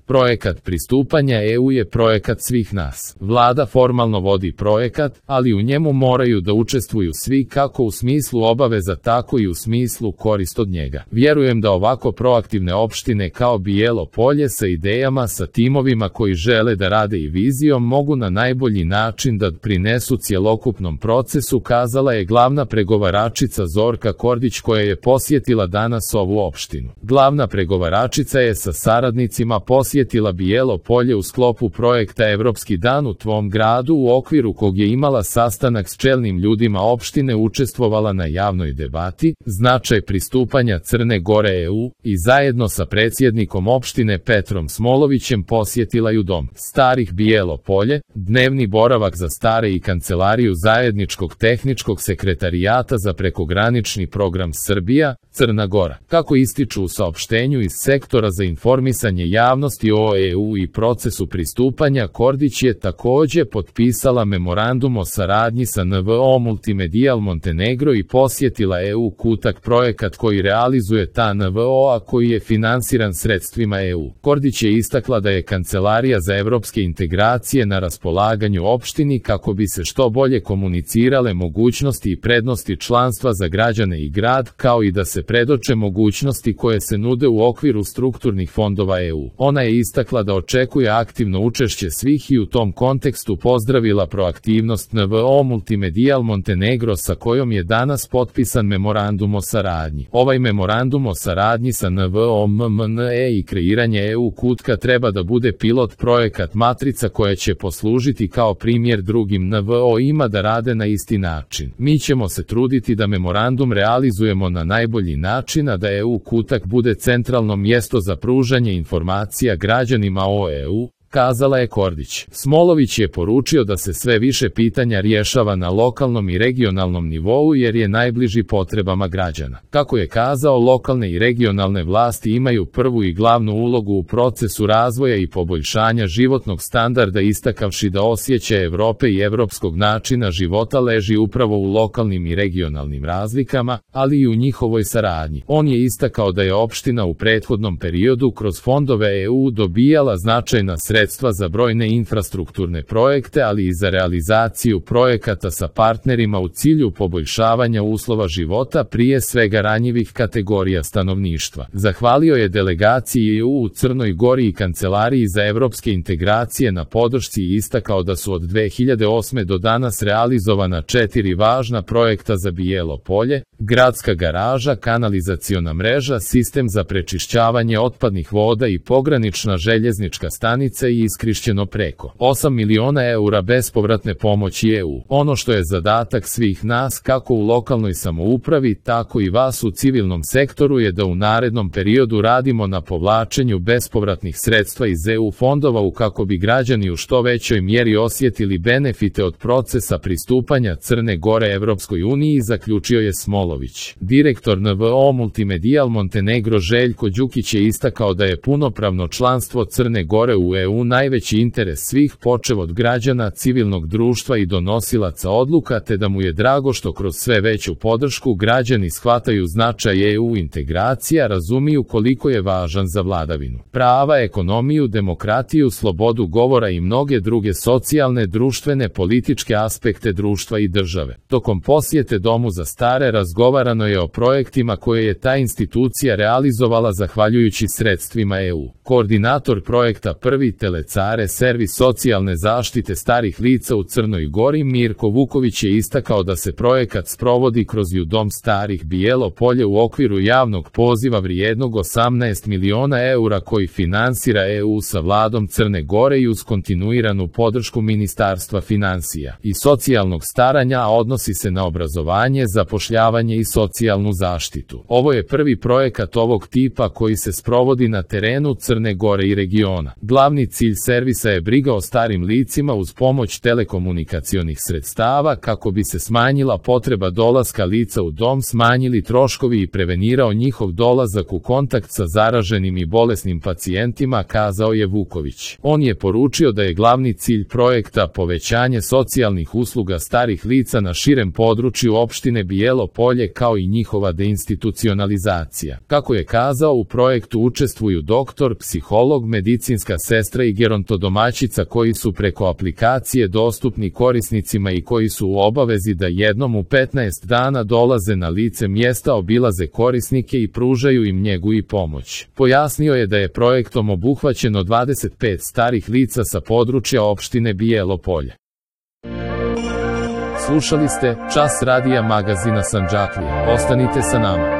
Projekat pristupanja EU je projekat svih nas. Vlada formalno vodi projekat, ali u njemu moraju da učestvuju svi kako u smislu obaveza tako i u smislu korist od njega. Vjerujem da ovako proaktivne opštine kao Bijelo Polje sa idejama, sa timovima koji žele da rade i vizijom mogu na najbolji način da prinesu cjelokupnom procesu, kazala je glavna pregovaračica Zorka Kordić koja je posjetila danas ovu opštinu. Glavna pregovaračica je sa saradnicima posjetila Bijelo Polje u sklopu projekta Evropski dan u tvom gradu, u okviru kog je imala sastanak s čelnim ljudima opštine, učestvovala na javnoj debati, značaj pristupanja Crne Gore EU i zajedno sa predsjednikom opštine Petrom Smolovićem posjetila ju Dom starih Bijelo Polje, dnevni boravak za stare i kancelariju zajedničkog tehničkog sekretarijata za prekogranični program Srbija, Crna Gora. Kako ističu u saopštenju iz sektora za informisanje javnosti o EU i procesu pristupanja, Kordić je također potpisala memorandum o saradnji sa NVO Multimedial Montenegro i posjetila EU Kutak, projekat koji realizuje ta NVO, a koji je finansiran sredstvima EU. Kordić je istakla da je Kancelarija za evropske integracije na raspolaganju opštini kako bi se što bolje komunicirale mogućnosti i prednosti članstva za građane i grad, kao i da se predoče mogućnosti koje se nude u okviru strukturnih fondova EU. Ona je istakla da očekuje aktivno učešće svih i u tom kontekstu pozdravila proaktivnost NVO Multimedial Montenegro sa kojom je danas potpisan memorandum o saradnji. Ovaj memorandum o saradnji sa NVO MMNE i kreiranje EU Kutka treba da bude pilot projekat matrica koja će poslužiti kao primjer drugim NVO-ima da rade na isti način. Mi ćemo se truditi da memorandum realizujemo na najbolji način, a da EU Kutak bude centralno mjesto za pružanje informacija građanima o EU, kazala je Kordić. Smolović je poručio da se sve više pitanja rješava na lokalnom i regionalnom nivou jer je najbliži potrebama građana. Kako je kazao, lokalne i regionalne vlasti imaju prvu i glavnu ulogu u procesu razvoja i poboljšanja životnog standarda, istakavši da osjećaj Evrope i evropskog načina života leži upravo u lokalnim i regionalnim razlikama, ali i u njihovoj saradnji. On je istakao da je opština u prethodnom periodu kroz fondove EU dobijala značajna sredstva za brojne infrastrukturne projekte, ali i za realizaciju projekata sa partnerima u cilju poboljšavanja uslova života, prije svega ranjivih kategorija stanovništva. Zahvalio je delegaciji EU u Crnoj Gori i Kancelariji za evropske integracije na podršci i istakao da su od 2008. do danas realizovana 4 važna projekta za Bijelo Polje: gradska garaža, kanalizaciona mreža, sistem za prečišćavanje otpadnih voda i pogranična željeznička stanica i iskorišćeno preko 8 miliona eura bespovratne pomoći EU. Ono što je zadatak svih nas, kako u lokalnoj samoupravi, tako i vas u civilnom sektoru, je da u narednom periodu radimo na povlačenju bespovratnih sredstva iz EU fondova kako bi građani u što većoj mjeri osjetili benefite od procesa pristupanja Crne Gore Evropskoj uniji, zaključio je Smolović. Direktor NVO Multimedial Montenegro Željko Đukić je istakao da je punopravno članstvo Crne Gore u EU najveći interes svih, počev od građana, civilnog društva i donosilaca odluka, te da mu je drago što kroz sve veću podršku građani shvataju značaj EU integracija, razumiju koliko je važan za vladavinu prava, ekonomiju, demokratiju, slobodu govora i mnoge druge socijalne, društvene, političke aspekte društva i države. Tokom posjete Domu za stare razgovarano je o projektima koje je ta institucija realizovala zahvaljujući sredstvima EU. Koordinator projekta Prvi Telecare servis socijalne zaštite starih lica u Crnoj Gori Mirko Vuković je istakao da se projekat sprovodi kroz Dom starih Bijelo Polje u okviru javnog poziva vrijednog 18 miliona eura koji finansira EU sa vladom Crne Gore i uz kontinuiranu podršku Ministarstva financija i socijalnog staranja, a odnosi se na obrazovanje, zapošljavanje i socijalnu zaštitu. Ovo je prvi projekat ovog tipa koji se sprovodi na terenu Crne Gore i regiona. Glavni cilj servisa je briga o starim licima uz pomoć telekomunikacionih sredstava kako bi se smanjila potreba dolaska lica u dom, smanjili troškovi i prevenirao njihov dolazak u kontakt sa zaraženim i bolesnim pacijentima, kazao je Vuković. On je poručio da je glavni cilj projekta povećanje socijalnih usluga starih lica na širem području opštine Bijelo Polje kao i njihova deinstitucionalizacija. Kako je kazao, u projektu učestvuju doktor, psiholog, medicinska sestra i gerontodomaćica koji su preko aplikacije dostupni korisnicima i koji su u obavezi da jednom u 15 dana dolaze na lice mjesta, obilaze korisnike i pružaju im njegu i pomoć. Pojasnio je da je projektom obuhvaćeno 25 starih lica sa područja opštine Bijelo Polje. Slušali ste Čas radija magazina Sandžaklija. Ostanite sa nama.